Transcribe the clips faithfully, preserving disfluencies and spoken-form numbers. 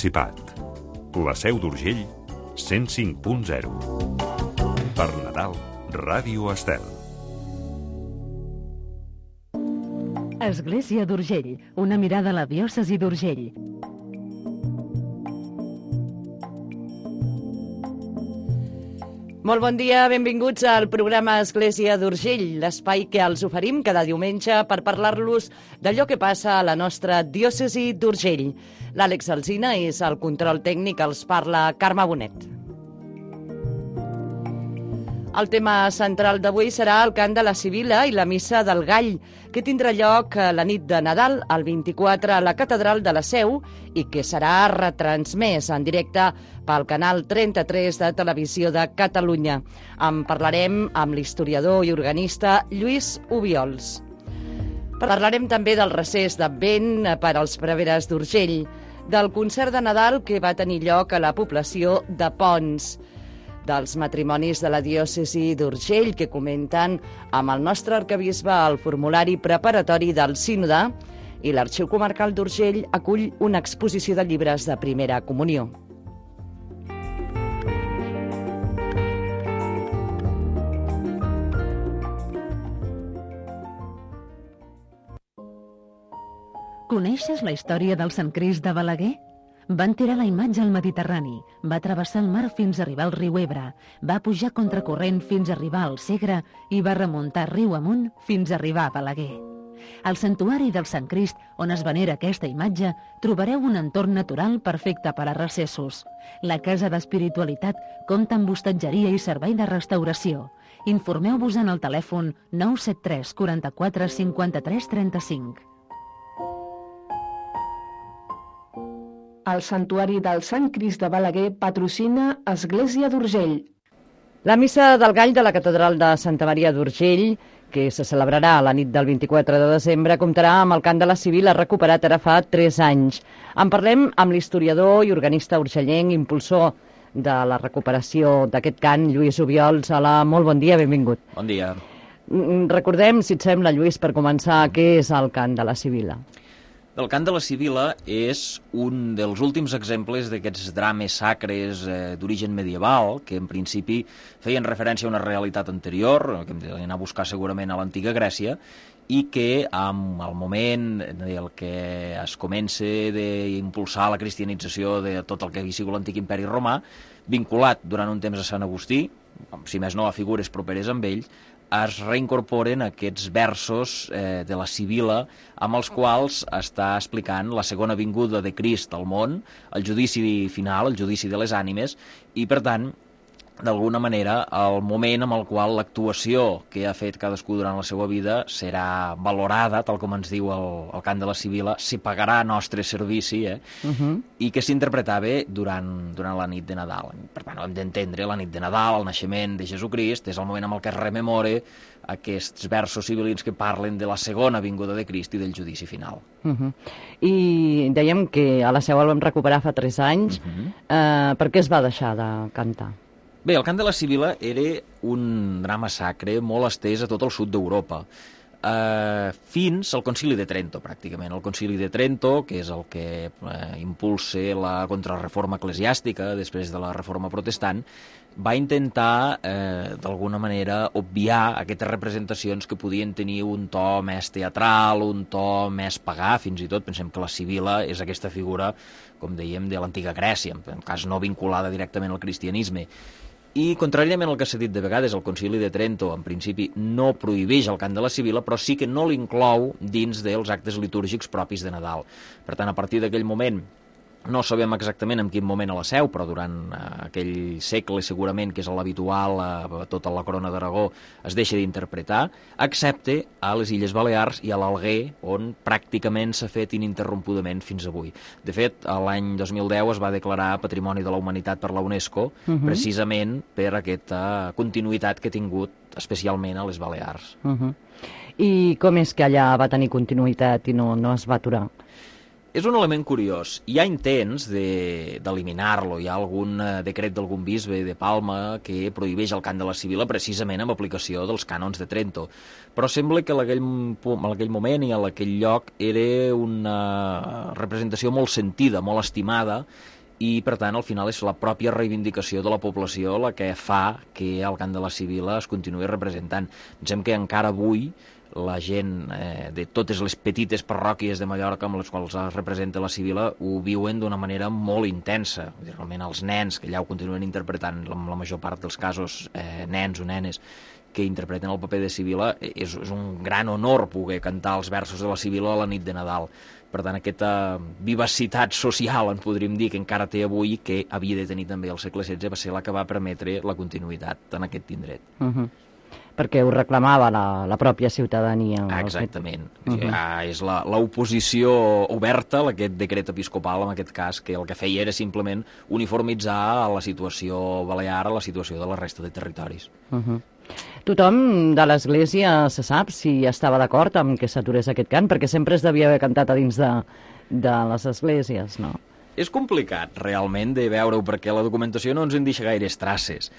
Principat. La Seu d'Urgell, cent cinc punt zero. Per Nadal, Ràdio Estel. Església d'Urgell, una mirada a la diòcesi d'Urgell. Molt bon dia, benvinguts al programa Església d'Urgell, l'espai que els oferim cada diumenge per parlar-los d'allò que passa a la nostra diòcesi d'Urgell. L'Àlex Alsina és el control tècnic, els parla Carme Bonet. El tema central d'avui serà el cant de la Sibil·la i la missa del Gall, que tindrà lloc la nit de Nadal, el vint-i-quatre, a la Catedral de la Seu, i que serà retransmès en directe pel canal trenta-tres de Televisió de Catalunya. En parlarem amb l'historiador i organista Lluís Obiols. Parlarem també del recés d'Advent per als preveres d'Urgell, del concert de Nadal que va tenir lloc a la població de Ponts, dels matrimonis de la diòcesi d'Urgell que comenten amb el nostre arquebisbe el formulari preparatori del sínode, i l'Arxiu Comarcal d'Urgell acull una exposició de llibres de primera comunió. Coneixes la història del Sant Crist de Balaguer? Van tirar la imatge al Mediterrani, va travessar el mar fins a arribar al riu Ebre, va pujar contracorrent fins a arribar al Segre i va remuntar riu amunt fins a arribar a Balaguer. Al santuari del Sant Crist, on es venera aquesta imatge, trobareu un entorn natural perfecte per a recessos. La Casa d'Espiritualitat compta amb hostatgeria i servei de restauració. Informeu-vos en el telèfon nou set tres quaranta-quatre cinquanta-tres trenta-cinc. El Santuari del Sant Crist de Balaguer patrocina Església d'Urgell. La missa del Gall de la Catedral de Santa Maria d'Urgell, que se celebrarà la nit del vint-i-quatre de desembre, comptarà amb el cant de la Sibil·la recuperat ara fa tres anys. En parlem amb l'historiador i organista urgellenc, impulsor de la recuperació d'aquest cant, Lluís Obiols. Hola, molt bon dia, benvingut. Bon dia. Recordem, si et sembla, Lluís, per començar, què és el cant de la Sibil·la? El cant de la Sibil·la és un dels últims exemples d'aquests drames sacres eh, d'origen medieval, que en principi feien referència a una realitat anterior, que hem d'anar a buscar segurament a l'antiga Grècia, i que amb el moment del que es comença d'impulsar la cristianització de tot el que havia sigut l'antic imperi romà, vinculat durant un temps a Sant Agustí, si més no a figures properes amb ell, es reincorporen aquests versos eh, de la Sibil·la amb els quals està explicant la segona vinguda de Crist al món, el judici final, el judici de les ànimes, i per tant, d'alguna manera, el moment amb el qual l'actuació que ha fet cadascú durant la seva vida serà valorada, tal com ens diu el, el cant de la Sibil·la, si pagarà nostre servici, eh? Uh-huh. I que s'interpretava durant, durant la nit de Nadal. Per tant, hem d'entendre la nit de Nadal, el naixement de Jesucrist, és el moment amb el que es rememora aquests versos sibil·lins que parlen de la segona vinguda de Crist i del judici final. Uh-huh. I dèiem que a la Seu el vam recuperar fa tres anys. Uh-huh. eh, per què es va deixar de cantar? Bé, el cant de la Sibil·la era un drama sacre molt estès a tot el sud d'Europa, eh, fins al Concili de Trento, pràcticament. El Concili de Trento, que és el que eh, impulsa la contrarreforma eclesiàstica després de la reforma protestant, va intentar, eh, d'alguna manera, obviar aquestes representacions que podien tenir un to més teatral, un to més pagà, fins i tot. Pensem que la Sibil·la és aquesta figura, com dèiem, de l'antiga Grècia, en cas no vinculada directament al cristianisme. I, contràriament al que s'ha dit de vegades, el Concili de Trento, en principi, no prohibeix el cant de la Sibil·la, però sí que no l'inclou dins dels actes litúrgics propis de Nadal. Per tant, a partir d'aquell moment, no sabem exactament en quin moment a la Seu, però durant eh, aquell segle segurament, que és l'habitual, a eh, tota la corona d'Aragó, es deixa d'interpretar, excepte a les Illes Balears i a l'Alguer, on pràcticament s'ha fet ininterrompudament fins avui. De fet, l'any dos mil deu es va declarar Patrimoni de la Humanitat per la UNESCO, uh-huh. precisament per aquesta continuïtat que ha tingut especialment a les Balears. Uh-huh. I com és que allà va tenir continuïtat i no, no es va aturar? És un element curiós. Hi ha intents d'eliminar-lo. Hi ha algun decret d'algun bisbe de Palma que prohibeix el cant de la Sibila precisament amb aplicació dels cànons de Trento. Però sembla que en aquell, en aquell moment i en aquell lloc era una representació molt sentida, molt estimada, i per tant al final és la pròpia reivindicació de la població la que fa que el cant de la Sibila es continuï representant. Pensem que encara avui la gent eh, de totes les petites parròquies de Mallorca amb les quals es representa la Sibila ho viuen d'una manera molt intensa. Realment els nens, que allà ho continuen interpretant, en la major part dels casos eh, nens o nenes que interpreten el paper de Sibila, és, és un gran honor poder cantar els versos de la Sibila a la nit de Nadal. Per tant, aquesta vivacitat social, en podríem dir, que encara té avui, que havia de tenir també el segle setze, va ser la que va permetre la continuïtat en aquest indret. Uh-huh. Perquè ho reclamava la, la pròpia ciutadania. Ah, exactament. Uh -huh. ah, és l'oposició oberta a aquest decret episcopal, en aquest cas, que el que feia era simplement uniformitzar la situació balear a la situació de la resta de territoris. Uh -huh. Tothom de l'Església se sap si estava d'acord amb que s'aturés aquest cant, perquè sempre es devia haver cantat a dins de, de les esglésies, no? És complicat, realment, de veure-ho, perquè la documentació no ens en deixa gaires traces.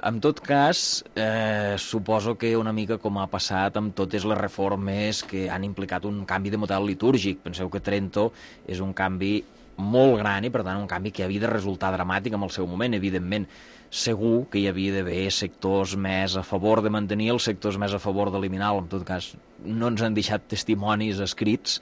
En tot cas, eh, suposo que una mica com ha passat amb totes les reformes que han implicat un canvi de model litúrgic. Penseu que Trento és un canvi molt gran i, per tant, un canvi que havia de resultar dramàtic en el seu moment, evidentment. Segur que hi havia d'haver sectors més a favor de mantenir, els sectors més a favor d'eliminar. En tot cas, no ens han deixat testimonis escrits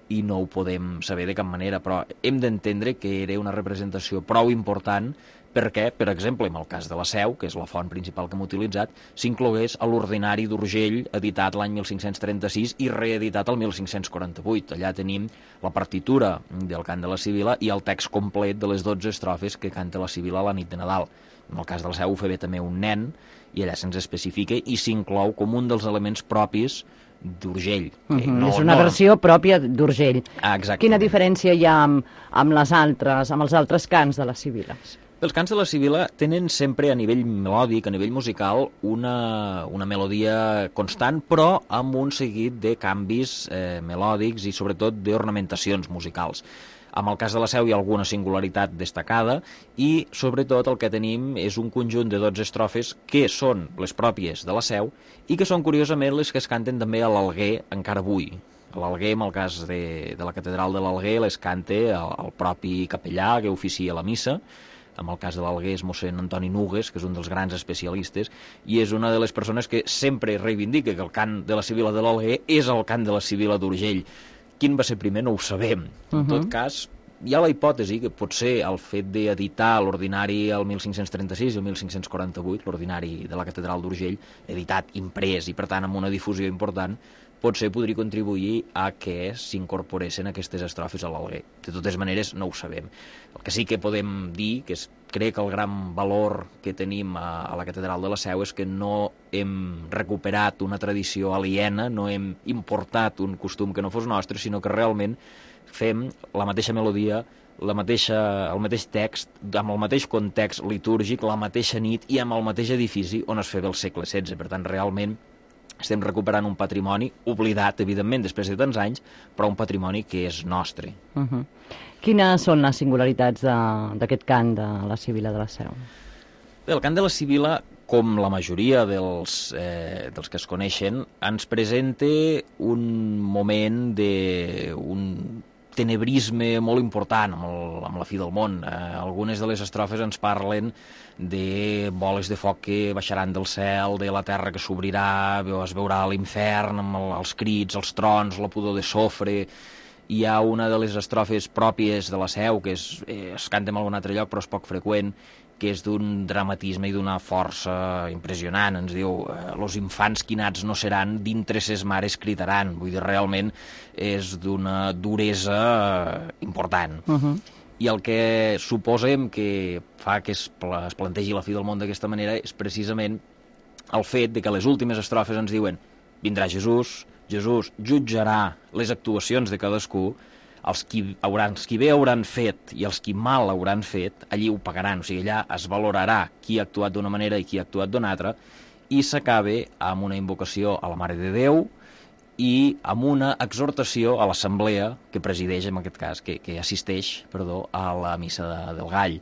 i no ho podem saber de cap manera, però hem d'entendre que era una representació prou important perquè, per exemple, en el cas de la Seu, que és la font principal que hem utilitzat, s'inclogués a l'Ordinari d'Urgell, editat l'any mil cinc-cents trenta-sis i reeditat el mil cinc-cents quaranta-vuit. Allà tenim la partitura del cant de la Sibila i el text complet de les dotze estrofes que canta la Sibila a la nit de Nadal. En el cas de la Seu ho fa bé també un nen, i allà se'ns especifica i s'inclou com un dels elements propis d'Urgell. Uh -huh. no, és una no... versió pròpia d'Urgell. Ah, exactament. Quina diferència hi ha amb, amb, les altres, amb els altres cants de les Sibiles? Els cants de la Sibila tenen sempre a nivell melòdic, a nivell musical, una, una melodia constant, però amb un seguit de canvis eh, melòdics i sobretot d'ornamentacions musicals. En el cas de la Seu hi ha alguna singularitat destacada i, sobretot, el que tenim és un conjunt de dotze estrofes que són les pròpies de la Seu i que són, curiosament, les que es canten també a l'Alguer encara avui. A l'Alguer, en el cas de, de la catedral de l'Alguer, les canta el, el propi capellà que oficia la missa. En el cas de l'Alguer és mossèn Antoni Nugues, que és un dels grans especialistes, i és una de les persones que sempre reivindica que el cant de la Sibila de l'Alguer és el cant de la Sibila d'Urgell. Quin va ser primer no ho sabem. En uh -huh. tot cas, hi ha la hipòtesi que potser el fet d'editar l'ordinari el mil cinc-cents trenta-sis i el mil cinc-cents quaranta-vuit, l'ordinari de la catedral d'Urgell, editat, imprès i per tant amb una difusió important, potser podria contribuir a que s'incorporessin aquestes estrofes a l'Alguer. De totes maneres, no ho sabem. El que sí que podem dir, que és, crec que el gran valor que tenim a, a la catedral de la Seu és que no hem recuperat una tradició aliena, no hem importat un costum que no fos nostre, sinó que realment fem la mateixa melodia, la mateixa, el mateix text, amb el mateix context litúrgic, la mateixa nit i amb el mateix edifici on es feia el segle setze. Per tant, realment estem recuperant un patrimoni oblidat, evidentment, després de tants anys, però un patrimoni que és nostre. Uh -huh. Quines són les singularitats d'aquest cant de la Sibila de la Seu? Bé, el cant de la Sibila, com la majoria dels, eh, dels que es coneixen, ens presenta un moment de... un tenebrisme molt important amb, el, amb la fi del món. Eh, algunes de les estrofes ens parlen de boles de foc que baixaran del cel, de la terra que s'obrirà, es veurà l'infern amb el, els crits, els trons, la pudor de sofre. Hi ha una de les estrofes pròpies de la Seu, que és, eh, es canta en algun altre lloc però és poc freqüent, que és d'un dramatisme i d'una força impressionant. Ens diu, eh, los infants quinats no seran, dintre ses mares critaran. Vull dir, realment és d'una duresa important. Uh -huh. I el que suposem que fa que es, es plantegi la fi del món d'aquesta manera és precisament el fet de que les últimes estrofes ens diuen vindrà Jesús, Jesús jutjarà les actuacions de cadascú, els qui, hauran, els qui bé hauran fet i els qui mal hauran fet, allí ho pagaran. O sigui, allà es valorarà qui ha actuat d'una manera i qui ha actuat d'una altra, i s'acaba amb una invocació a la Mare de Déu i amb una exhortació a l'assemblea que presideix, en aquest cas, que, que assisteix, perdó, a la missa de, del Gall,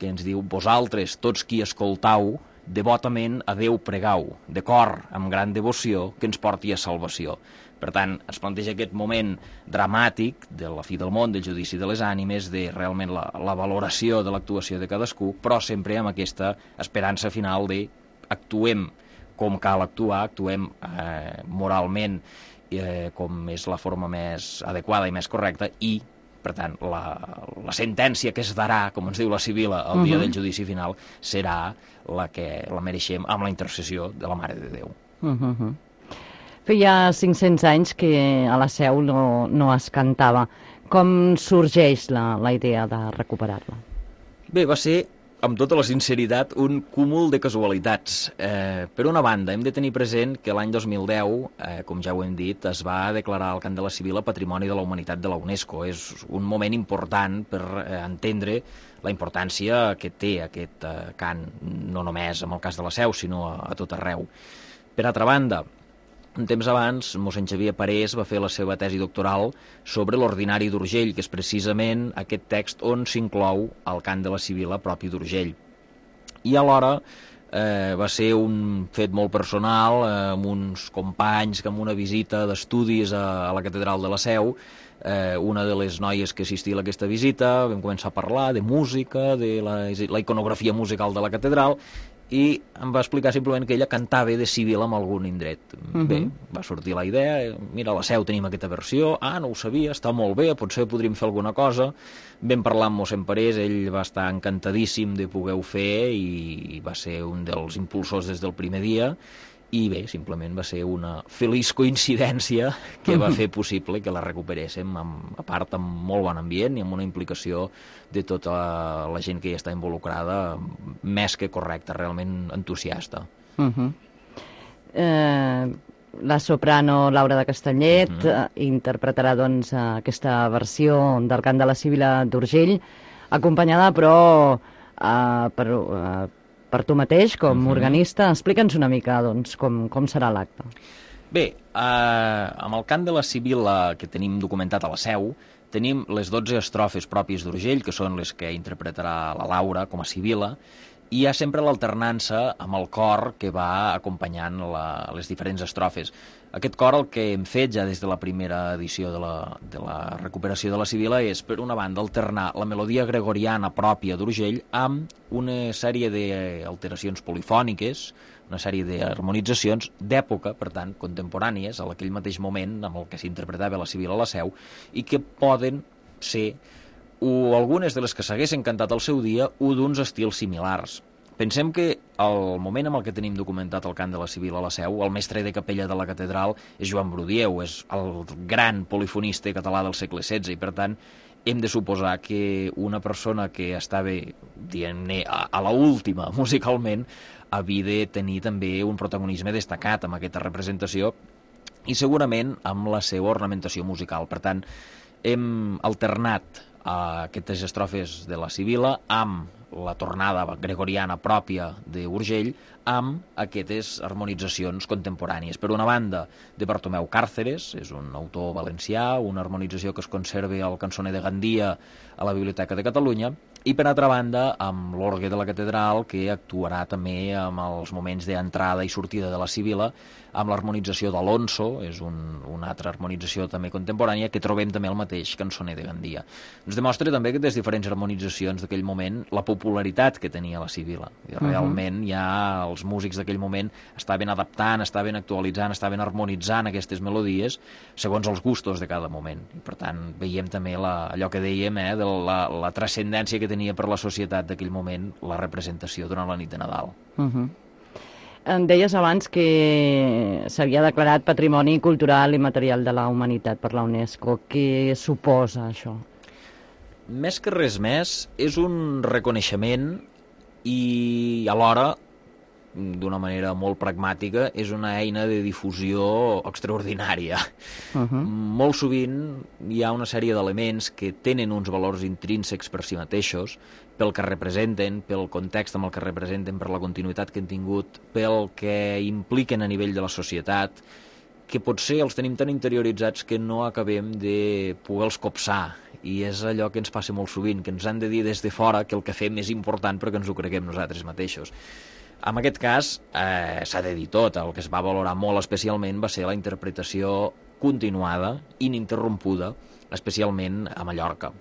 que ens diu: vosaltres, tots qui escoltau, devotament a Déu pregau, de cor, amb gran devoció, que ens porti a salvació. Per tant, es planteja aquest moment dramàtic de la fi del món, del judici de les ànimes, de realment la, la valoració de l'actuació de cadascú, però sempre amb aquesta esperança final de actuem com cal actuar, actuem eh, moralment eh, com és la forma més adequada i més correcta, i, per tant, la, la sentència que es darà, com ens diu la Sibil·la, el dia uh-huh. del judici final, serà la que la mereixem amb la intercessió de la Mare de Déu. Uh-huh. Feia cinc-cents anys que a la Seu no, no es cantava. Com sorgeix la, la idea de recuperar-la? Bé, va ser, amb tota la sinceritat, un cúmul de casualitats. Eh, per una banda, hem de tenir present que l'any dos mil deu, eh, com ja ho hem dit, es va declarar el Cant de la Sibil·la Patrimoni de la Humanitat de la UNESCO. És un moment important per eh, entendre la importància que té aquest eh, cant, no només en el cas de la Seu, sinó a, a tot arreu. Per altra banda, un temps abans, mossèn Xavier Parés va fer la seva tesi doctoral sobre l'Ordinari d'Urgell, que és precisament aquest text on s'inclou el cant de la Sibil·la propi d'Urgell. I alhora eh, va ser un fet molt personal, eh, amb uns companys que amb una visita d'estudis a, a la catedral de la Seu, eh, una de les noies que assistia a aquesta visita, vam començar a parlar de música, de la, la iconografia musical de la catedral, i em va explicar simplement que ella cantava de Sibil·la en algun indret. Uh-huh. Bé, va sortir la idea, mira, a la Seu tenim aquesta versió, ah, no ho sabia, està molt bé, potser podríem fer alguna cosa. Vam parlar amb mossèn Parés, ell va estar encantadíssim de poder-ho fer i va ser un dels impulsors des del primer dia. I bé, simplement va ser una feliç coincidència que va fer possible que la recuperéssim, amb, a part amb molt bon ambient i amb una implicació de tota la gent que hi està involucrada, més que correcta, realment entusiasta. Uh-huh. eh, la soprano Laura de Castellet uh-huh. eh, interpretarà doncs, aquesta versió del cant de la Sibil·la d'Urgell, acompanyada però eh, per... Eh, per tu mateix, com a uh-huh. organista. Explica'ns una mica doncs, com, com serà l'acte. Bé, eh, amb el cant de la Sibil·la que tenim documentat a la Seu, tenim les dotze estrofes pròpies d'Urgell, que són les que interpretarà la Laura com a Sibil·la, i hi ha sempre l'alternança amb el cor que va acompanyant la, les diferents estrofes. Aquest cor, el que hem fet ja des de la primera edició de la, de la recuperació de la Sibil·la, és, per una banda, alternar la melodia gregoriana pròpia d'Urgell amb una sèrie d'alteracions polifòniques, una sèrie d'harmonitzacions d'època, per tant, contemporànies, a aquell mateix moment amb el que s'interpretava la Sibil·la a la Seu, i que poden ser, o algunes de les que s'haguessin cantat al seu dia, o d'uns estils similars. Pensem que el moment amb el que tenim documentat el cant de la Sibil·la a la Seu, el mestre de capella de la catedral és Joan Brudieu, és el gran polifonista català del segle setze, i per tant hem de suposar que una persona que estava, diguem-ne, a, a la última musicalment, havia de tenir també un protagonisme destacat amb aquesta representació i segurament amb la seva ornamentació musical. Per tant, hem alternat a aquestes estrofes de la Sibil·la amb la tornada gregoriana pròpia d'Urgell amb aquestes harmonitzacions contemporànies. Per una banda, de Bartomeu Càrceres, és un autor valencià, una harmonització que es conserva al Cançoner de Gandia a la Biblioteca de Catalunya, i per altra banda, amb l'orgue de la catedral, que actuarà també amb els moments d'entrada i sortida de la Sibil·la, amb l'harmonització d'Alonso, és un, una altra harmonització també contemporània, que trobem també el mateix Cançoner de Gandia. Ens demostra també que des diferents harmonitzacions d'aquell moment la popularitat que tenia la Sibil·la. I realment uh-huh. ja els músics d'aquell moment estaven adaptant, estaven actualitzant, estaven harmonitzant aquestes melodies segons els gustos de cada moment. I per tant veiem també la, allò que dèiem, eh, de la, la transcendència que tenia per la societat d'aquell moment la representació durant la nit de Nadal. Uh-huh. Em deies abans que s'havia declarat Patrimoni Cultural i Material de la Humanitat per la UNESCO. Què suposa això? Més que res més, és un reconeixement i alhora, d'una manera molt pragmàtica, és una eina de difusió extraordinària. Uh-huh. Molt sovint hi ha una sèrie d'elements que tenen uns valors intrínsecs per si mateixos, pel que representen, pel context amb el que representen, per la continuïtat que han tingut, pel que impliquen a nivell de la societat, que potser els tenim tan interioritzats que no acabem de poder-los copsar, i és allò que ens passa molt sovint, que ens han de dir des de fora que el que fem és important perquè ens ho creguem nosaltres mateixos. En aquest cas, eh, s'ha de dir tot, el que es va valorar molt especialment va ser la interpretació continuada, ininterrompuda, especialment a Mallorca.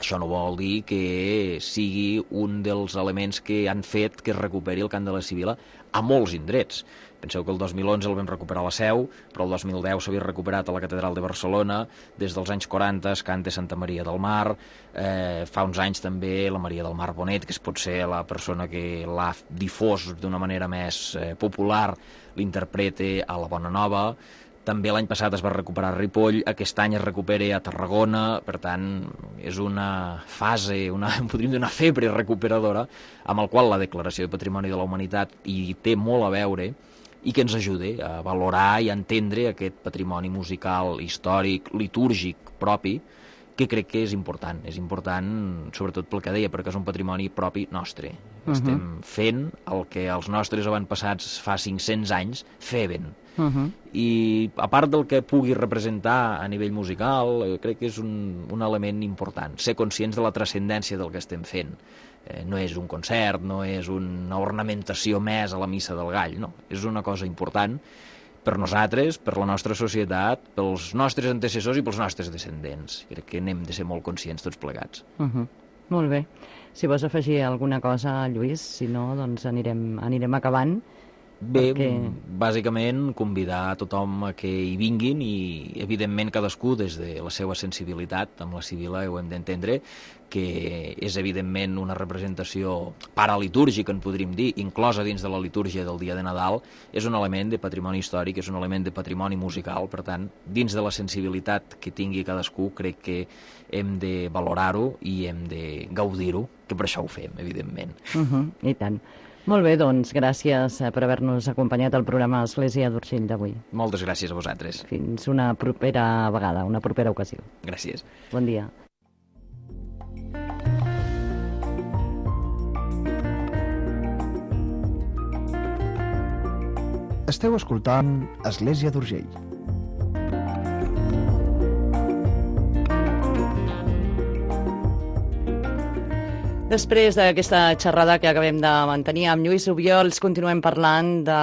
Això no vol dir que sigui un dels elements que han fet que es recuperi el cant de la Sibil·la a molts indrets. Penseu que el dos mil onze el vam recuperar a la Seu, però el dos mil deu s'havia recuperat a la Catedral de Barcelona, des dels anys quaranta es canta Santa Maria del Mar, eh, fa uns anys també la Maria del Mar Bonet, que és potser la persona que l'ha difós d'una manera més eh, popular, l'interprete a la Bona Nova. També l'any passat es va recuperar a Ripoll, aquest any es recupera a Tarragona, per tant, és una fase, una, podríem dir una febre recuperadora, amb el qual la Declaració de Patrimoni de la Humanitat hi té molt a veure i que ens ajuda a valorar i a entendre aquest patrimoni musical, històric, litúrgic propi, que crec que és important. És important, sobretot pel que deia, perquè és un patrimoni propi nostre. Uh-huh. Estem fent el que els nostres avantpassats fa cinc-cents anys feien. Uh-huh. I a part del que pugui representar a nivell musical, eh, crec que és un, un element important, ser conscients de la transcendència del que estem fent. Eh, no és un concert, no és una ornamentació més a la missa del gall, no, és una cosa important per nosaltres, per la nostra societat, pels nostres antecessors i pels nostres descendents. Crec que n'hem de ser molt conscients tots plegats. Uh-huh. Molt bé. Si vols afegir alguna cosa, Lluís, si no, doncs anirem, anirem acabant. Bé, perquè... bàsicament convidar a tothom a que hi vinguin i, evidentment, cadascú des de la seva sensibilitat, amb la Sibil·la ho hem d'entendre, que és, evidentment, una representació paralitúrgica, en podríem dir, inclosa dins de la litúrgia del dia de Nadal, és un element de patrimoni històric, és un element de patrimoni musical, per tant, dins de la sensibilitat que tingui cadascú, crec que hem de valorar-ho i hem de gaudir-ho, que per això ho fem, evidentment. Uh-huh, I tant. Molt bé, doncs, gràcies per haver-nos acompanyat al programa Església d'Urgell d'avui. Moltes gràcies a vosaltres. Fins una propera vegada, una propera ocasió. Gràcies. Bon dia. Esteu escoltant Església d'Urgell. Després d'aquesta xerrada que acabem de mantenir amb Lluís Obiols, continuem parlant de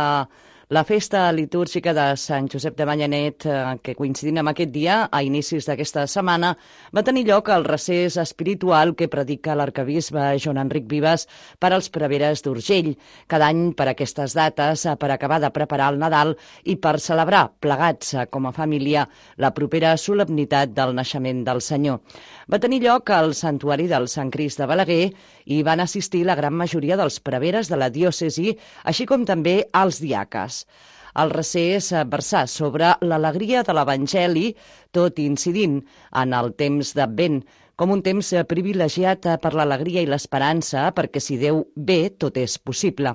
la festa litúrgica de Sant Josep de Manyanet, que coincidint amb aquest dia, a inicis d'aquesta setmana, va tenir lloc el recés espiritual que predica l'arcabisbe Joan Enric Vives per als preveres d'Urgell, cada any per aquestes dates, per acabar de preparar el Nadal i per celebrar, plegats com a família, la propera solemnitat del naixement del Senyor. Va tenir lloc al Santuari del Sant Crist de Balaguer i van assistir la gran majoria dels preveres de la diòcesi, així com també els diaques. El recés versà sobre l'alegria de l'Evangeli, tot incidint en el temps d'Advent, com un temps privilegiat per l'alegria i l'esperança, perquè si Déu ve, tot és possible.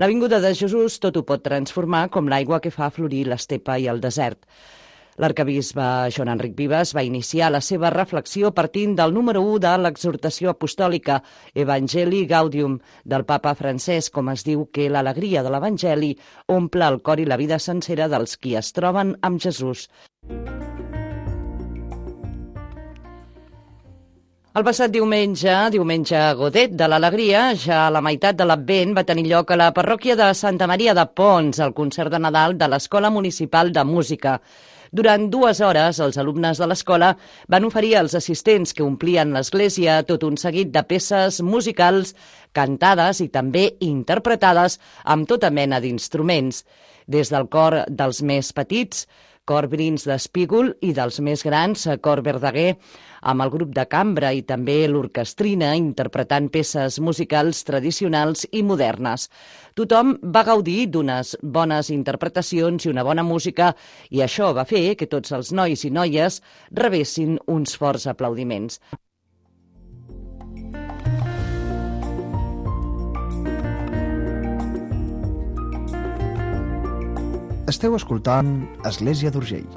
La vinguda de Jesús tot ho pot transformar com l'aigua que fa florir l'estepa i el desert. L'arcabisbe Joan Enric Vives va iniciar la seva reflexió partint del número u de l'exhortació apostòlica Evangelii Gaudium del papa Francesc, com es diu que l'alegria de l'Evangeli omple el cor i la vida sencera dels qui es troben amb Jesús. El passat diumenge, diumenge Godet de l'Alegria, ja a la meitat de l'Advent, va tenir lloc a la parròquia de Santa Maria de Pons, el concert de Nadal de l'Escola Municipal de Música. Durant dues hores, els alumnes de l'escola van oferir als assistents que omplien l'església tot un seguit de peces musicals cantades i també interpretades amb tota mena d'instruments, des del cor dels més petits, cor Brins d'Espígol, i dels més grans, cor Verdaguer, amb el grup de cambra i també l'orquestrina interpretant peces musicals tradicionals i modernes. Tothom va gaudir d'unes bones interpretacions i una bona música, i això va fer que tots els nois i noies rebessin uns forts aplaudiments. Esteu escoltant Església d'Urgell.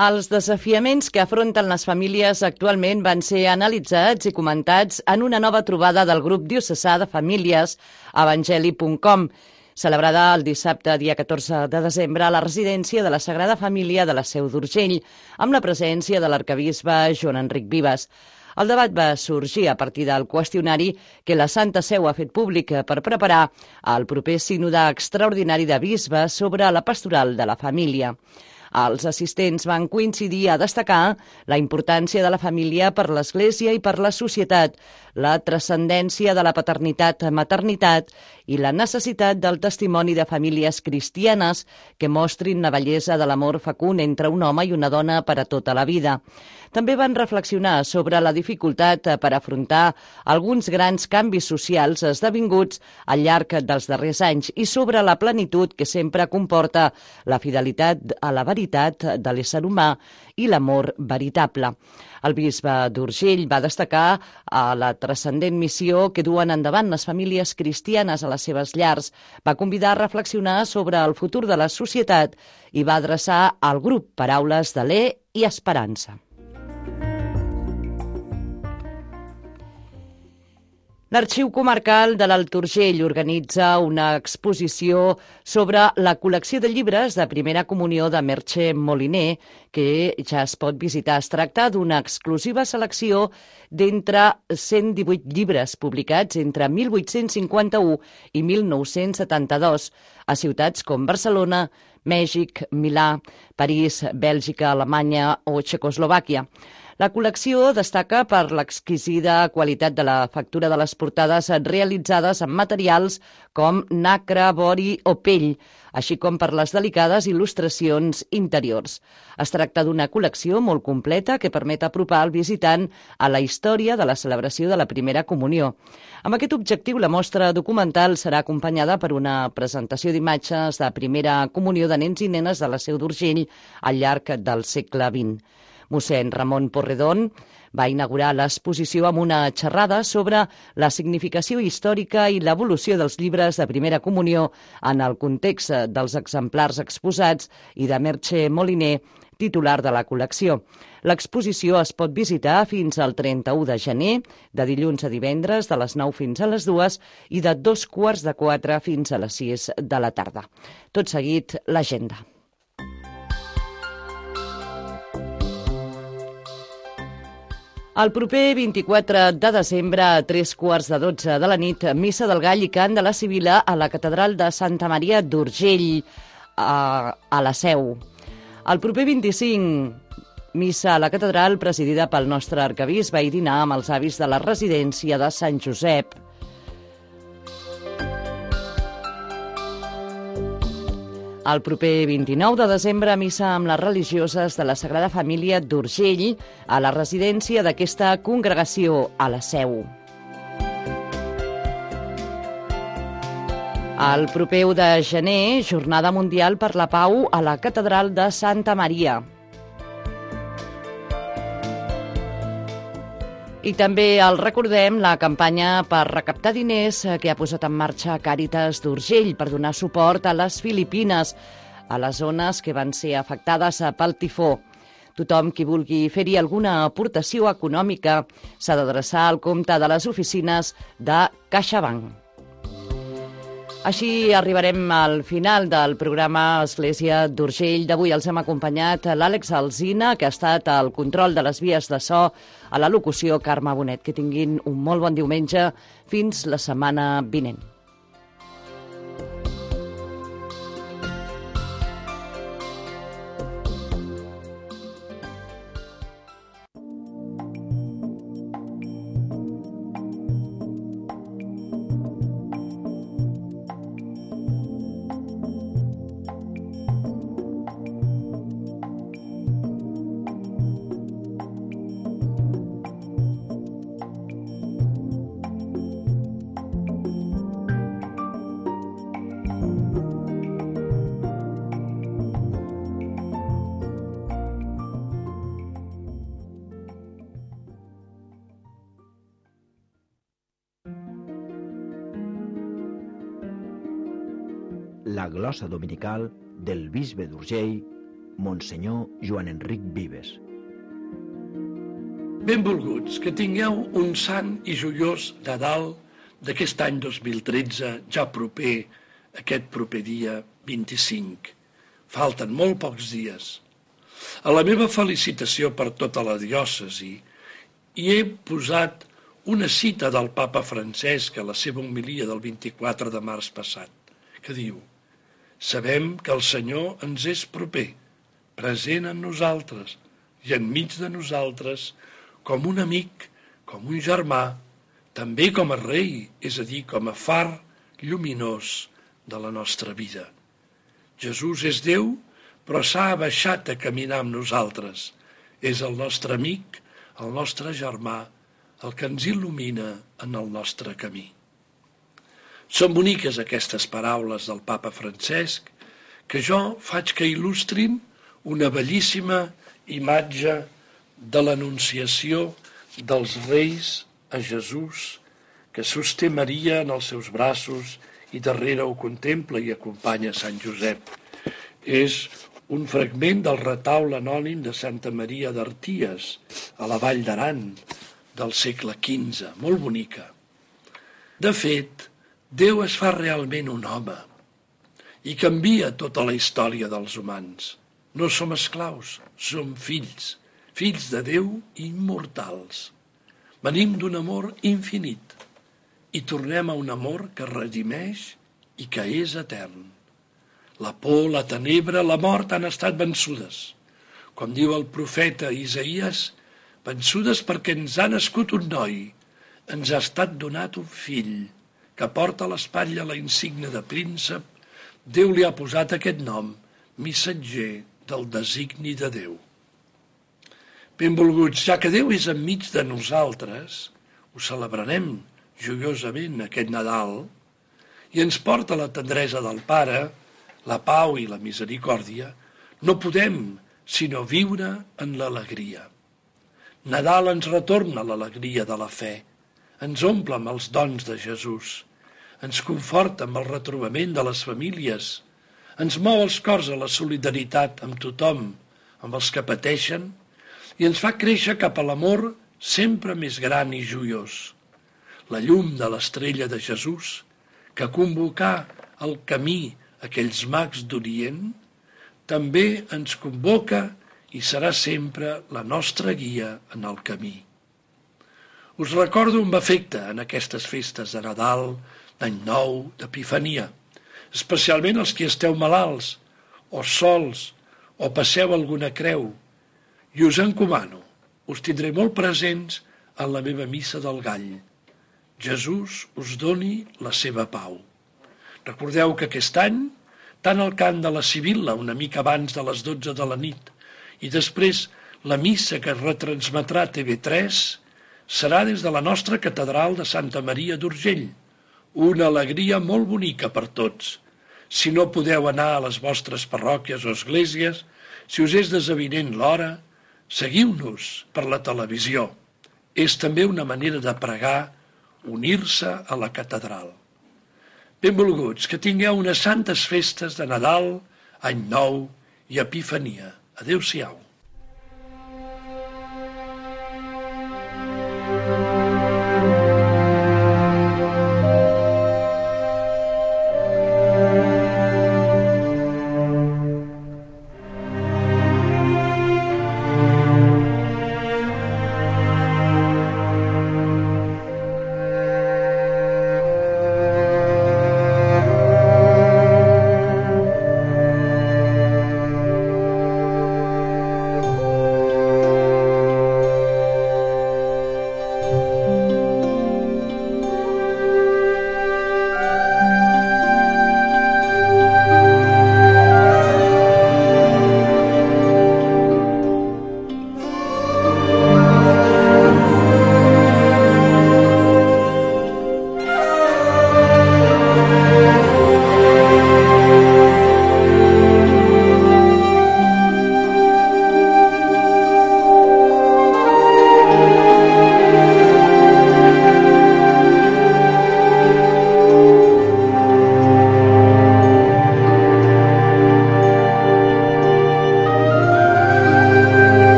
Els desafiaments que afronten les famílies actualment van ser analitzats i comentats en una nova trobada del grup diocesà de famílies evangeli punt com, celebrada el dissabte, dia catorze de desembre, a la residència de la Sagrada Família de la Seu d'Urgell, amb la presència de l'arquebisbe Joan Enric Vives. El debat va sorgir a partir del qüestionari que la Santa Seu ha fet públic per preparar el proper sínode extraordinari de bisbes sobre la pastoral de la família. Els assistents van coincidir a destacar la importància de la família per l'Església i per la societat, la transcendència de la paternitat-maternitat i la necessitat del testimoni de famílies cristianes que mostrin la bellesa de l'amor fecund entre un home i una dona per a tota la vida. També van reflexionar sobre la dificultat per afrontar alguns grans canvis socials esdevinguts al llarg dels darrers anys i sobre la plenitud que sempre comporta la fidelitat a la veritat de l'ésser humà i l'amor veritable. El bisbe d'Urgell va destacar a la transcendent missió que duen endavant les famílies cristianes a les seves llars, va convidar a reflexionar sobre el futur de la societat i va adreçar al grup paraules d'alè i esperança. L'Arxiu Comarcal de l'Alt Urgell organitza una exposició sobre la col·lecció de llibres de primera comunió de Merche Moliner, que ja es pot visitar. Es tracta d'una exclusiva selecció d'entre cent divuit llibres publicats entre mil vuit-cents cinquanta-u i mil nou-cents setanta-dos a ciutats com Barcelona, Mèxic, Milà, París, Bèlgica, Alemanya o Txecoslovàquia. La col·lecció destaca per l'exquisida qualitat de la factura de les portades realitzades amb materials com nacre, vori o pell, així com per les delicades il·lustracions interiors. Es tracta d'una col·lecció molt completa que permet apropar el visitant a la història de la celebració de la primera comunió. Amb aquest objectiu, la mostra documental serà acompanyada per una presentació d'imatges de primera comunió de nens i nenes de la Seu d'Urgell al llarg del segle vint. Mossèn Ramon Porredón va inaugurar l'exposició amb una xerrada sobre la significació històrica i l'evolució dels llibres de primera comunió en el context dels exemplars exposats i de Merche Moliner, titular de la col·lecció. L'exposició es pot visitar fins al trenta-u de gener, de dilluns a divendres, de les nou fins a les dues i de dos quarts de quatre fins a les sis de la tarda. Tot seguit, l'agenda. El proper vint-i-quatre de desembre, a tres quarts de dotze de la nit, missa del Gall i cant de la Sibil·la a la catedral de Santa Maria d'Urgell, a, a la Seu. El proper vint-i-cinc, missa a la catedral presidida pel nostre arquebisbe i dinar amb els avis de la residència de Sant Josep. El proper vint-i-nou de desembre, missa amb les religioses de la Sagrada Família d'Urgell a la residència d'aquesta congregació a la Seu. El proper u de gener, Jornada Mundial per la Pau a la Catedral de Santa Maria. I també el recordem la campanya per recaptar diners que ha posat en marxa Càritas d'Urgell per donar suport a les Filipines, a les zones que van ser afectades pel tifó. Tothom qui vulgui fer-hi alguna aportació econòmica s'ha d'adreçar al compte de les oficines de CaixaBank. Així arribarem al final del programa Església d'Urgell d'avui. Els hem acompanyat l'Àlex Alsina, que ha estat al control de les vies de so, a la locució Carme Bonet. Que tinguin un molt bon diumenge fins la setmana vinent. La glosa dominical del bisbe d'Urgell, Monsenyor Joan Enric Vives. Benvolguts, que tingueu un sant i joiós Nadal d'aquest any dos mil tretze, ja proper, aquest proper dia vint-i-cinc. Falten molt pocs dies. A la meva felicitació per tota la diòcesi hi he posat una cita del papa Francesc a la seva homilia del vint-i-quatre de març passat, que diu: «Sabem que el Senyor ens és proper, present en nosaltres i enmig de nosaltres, com un amic, com un germà, també com a rei, és a dir, com a far lluminós de la nostra vida. Jesús és Déu, però s'ha abaixat a caminar amb nosaltres. És el nostre amic, el nostre germà, el que ens il·lumina en el nostre camí». Són boniques aquestes paraules del papa Francesc, que jo faig que il·lustrin una bellíssima imatge de l'anunciació dels reis a Jesús, que sosté Maria en els seus braços i darrere ho contempla i acompanya Sant Josep. És un fragment del retaule anònim de Santa Maria d'Arties, a la Vall d'Aran, del segle quinze, molt bonica. De fet, Déu es fa realment un home i canvia tota la història dels humans. No som esclaus, som fills, fills de Déu immortals. Venim d'un amor infinit i tornem a un amor que redimeix i que és etern. La por, la tenebra, la mort han estat vençudes. Com diu el profeta Isaïes, vençudes perquè ens ha nascut un noi, ens ha estat donat un fill, que porta a l'espatlla la insígnia de príncep. Déu li ha posat aquest nom, missatger del designi de Déu. Benvolguts, ja que Déu és enmig de nosaltres, ho celebrarem joiosament aquest Nadal, i ens porta la tendresa del Pare, la pau i la misericòrdia, no podem sinó viure en l'alegria. Nadal ens retorna l'alegria de la fe, ens omple amb els dons de Jesús, ens conforta amb el retrobament de les famílies, ens mou els cors a la solidaritat amb tothom, amb els que pateixen, i ens fa créixer cap a l'amor sempre més gran i joiós. La llum de l'estrella de Jesús, que convocà el camí aquells mags d'Orient, també ens convoca i serà sempre la nostra guia en el camí. Us recordo amb afecte en aquestes festes de Nadal, d'Any Nou, d'Epifania, especialment els que esteu malalts, o sols, o passeu alguna creu, i us encomano, us tindré molt presents en la meva missa del Gall. Jesús us doni la seva pau. Recordeu que aquest any, tant el cant de la Sibil·la una mica abans de les dotze de la nit, i després la missa que es retransmetrà a T V tres, serà des de la nostra catedral de Santa Maria d'Urgell, una alegria molt bonica per tots. Si no podeu anar a les vostres parròquies o esglésies, si us és desavinent l'hora, seguiu-nos per la televisió. És també una manera de pregar, unir-se a la catedral. Benvolguts, que tingueu unes santes festes de Nadal, Any Nou i Epifania. Adéu-siau.